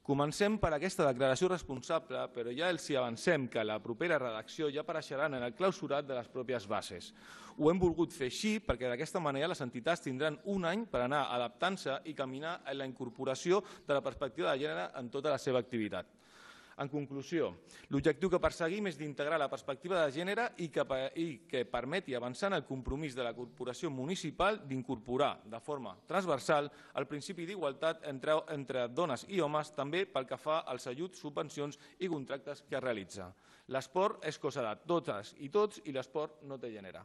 Comencem per aquesta declaració responsable, però ja els hi avancem que la propera redacció ja apareixeran en el clausurat de les pròpies bases. Ho hem volgut fer així perquè d'aquesta manera les entitats tindran un any per anar adaptant-se i caminar en la incorporació de la perspectiva de gènere en tota la seva activitat. En conclusió, l'objectiu que perseguim és d'integrar la perspectiva de gènere i que permeti avançar en el compromís de la corporació municipal d'incorporar de forma transversal el principi d'igualtat entre dones i homes, també pel que fa als ajuts, subvencions i contractes que es realitza. L'esport és cosa de totes i tots i l'esport no té gènere.